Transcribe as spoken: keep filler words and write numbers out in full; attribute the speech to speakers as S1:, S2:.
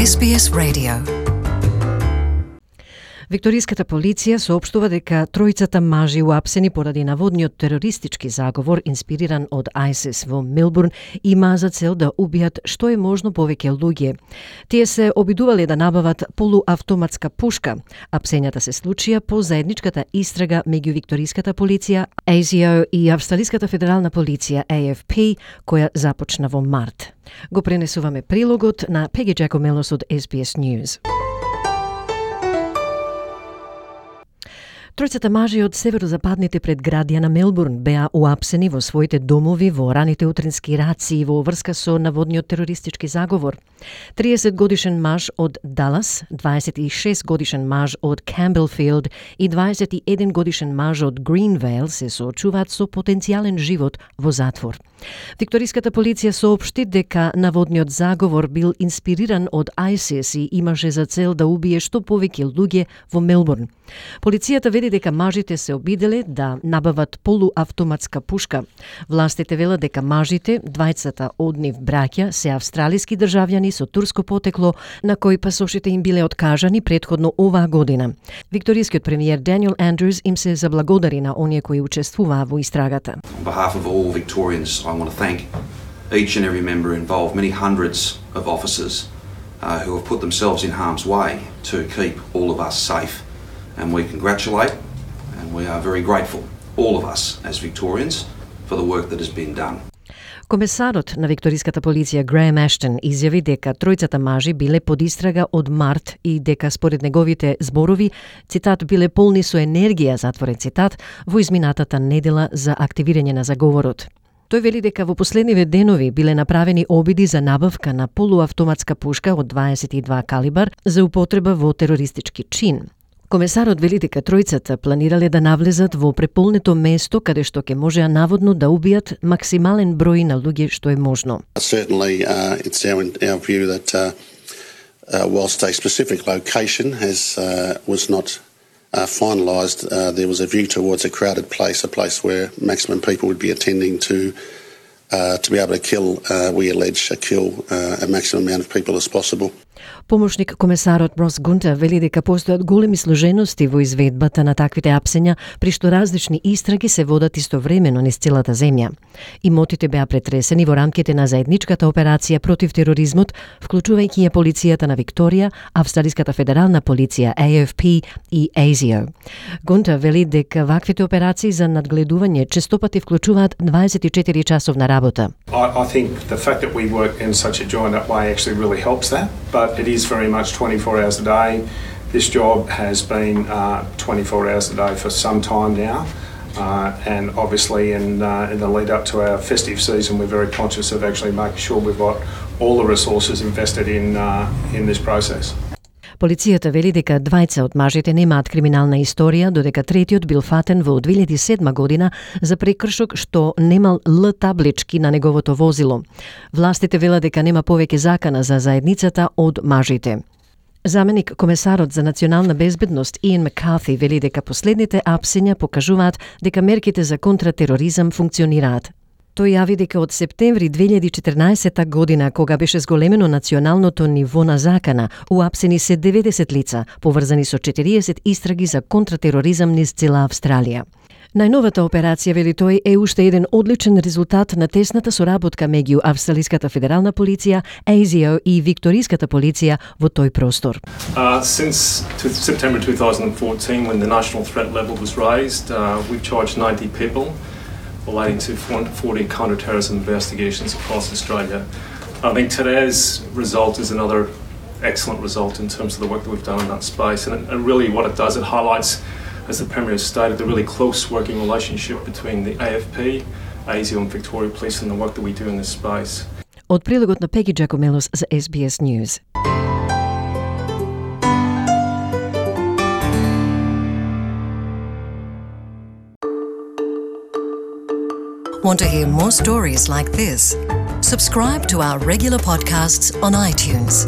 S1: Ес Би Ес Radio. Викториската полиција соопштува дека тројцата мажи уапсени поради наводниот терористички заговор инспириран од ISIS во Мелбурн има за цел да убијат што е можно повеќе луѓе. Тие се обидувале да набават полуавтоматска пушка. Апсењата се случија по заедничката истрага меѓу викториската полиција, А С О и Австралиската федерална полиција А Ф П, која започна во март. Го пренесуваме прилогот на Пеги Джакомелос од Ес Би Ес News. Тројцата мажи од северозападните предградија на Мелбурн беа уапсени во своите домови во раните утрински рации во врска со наводниот терористички заговор. триесет годишен маж од Далас, дваесет и шест годишен маж од Камбелфилд и дваесет и еден годишен маж од Гринвейл се соочуваат со потенцијален живот во затвор. Викториската полиција соопшти дека наводниот заговор бил инспириран од ISIS и имаше за цел да убие што повеќе луѓе во Мелбурн. Полицијата вели дека мажите се обиделе да набават полуавтоматска пушка. Властите велат дека мажите, двајцата од нив браќа, се австралиски државјани со турско потекло, на кои пасошите им биле откажани претходно оваа година. Викторискиот премиер Даниел Андрюс им се заблагодари на оние кои учествуваа во истрагата.
S2: On behalf of all Victorians, I want to thank each and every member involved, many hundreds of officers uh, who have put themselves in harm's way to keep all of us safe. And we congratulate and we are very grateful, all of us as Victorians, for the work that has been done.
S1: Комесарот на викториската полиција Греем Ештон изјави дека тројцата мажи биле под истрага од март и дека според неговите зборови, цитат, биле полни со енергија, затворен цитат, во изминатата недела за активирање на заговорот. Тој вели дека во последниве денови биле направени обиди за набавка на полуавтоматска пушка од дваесет и два калибар за употреба во терористички чин. Комесарот вели дека тројцата планирале да навлезат во преполнето место каде што ќе можеа наводно да убијат максимален број на луѓе што е можно.
S3: Certainly, uh, it's our, our view that uh, uh, whilst a specific location has uh, was not uh, finalised, uh, there was a view towards a crowded place, a place where maximum people would be attending to uh, to be able to kill, uh, we allege, kill uh, a maximum amount of people as possible.
S1: Помошник комесарот Брос Гунтер вели дека постојат големи сложености во изведбата на таквите апсења, при што различни истраги се водат истовремено низ целата земја. Имотите беа претресени во рамките на заедничката операција против тероризмот, вклучувајќи ја полицијата на Викторија, Австралиската федерална полиција А Ф П и А С О. Гунтер вели дека ваквите операции за надгледување честопати вклучуваат дваесет и четири часовна работа.
S4: I, I think the fact that we work in such a joined up way actually really helps that, but it is very much twenty-four hours a day. This job has been uh, twenty-four hours a day for some time now, uh, and obviously in, uh, in the lead up to our festive season we're very conscious of actually making sure we've got all the resources invested in, uh, in this process.
S1: Полицијата вели дека двајца од мажите немаат криминална историја, додека третиот бил фатен во две илјади и седма година за прекршок што немал Л таблички на неговото возило. Властите велат дека нема повеќе закана за заедницата од мажите. Заменик комесарот за национална безбедност Иен Маккарти вели дека последните апсења покажуваат дека мерките за контратероризам функционираат. Тој јави дека од септември две илјади и четирнаесетта година, кога беше зголемено националното ниво на закана, уапсени се деветдесет лица, поврзани со четириесет истраги за контратероризам низ цела Австралија. Најновата операција, вели тој, е уште еден одличен резултат на тесната соработка меѓу Австралиската федерална полиција, А С О и Викториската полиција во тој простор.
S5: Uh, since September twenty fourteen, when the national threat level was raised, uh, we've charged ninety people relating to fourteen counter-terrorism investigations across Australia. I think today's result is another excellent result in terms of the work that we've done in that space, and, it, and really what it does, it highlights, as the Premier stated, the really close working relationship between the A F P, A S I O and Victoria Police and the work that we do in this space.
S1: Од прилогот на Пеги Джакомелос за Ес Би Ес News.
S6: Want to hear more stories like this? Subscribe to our regular podcasts on iTunes.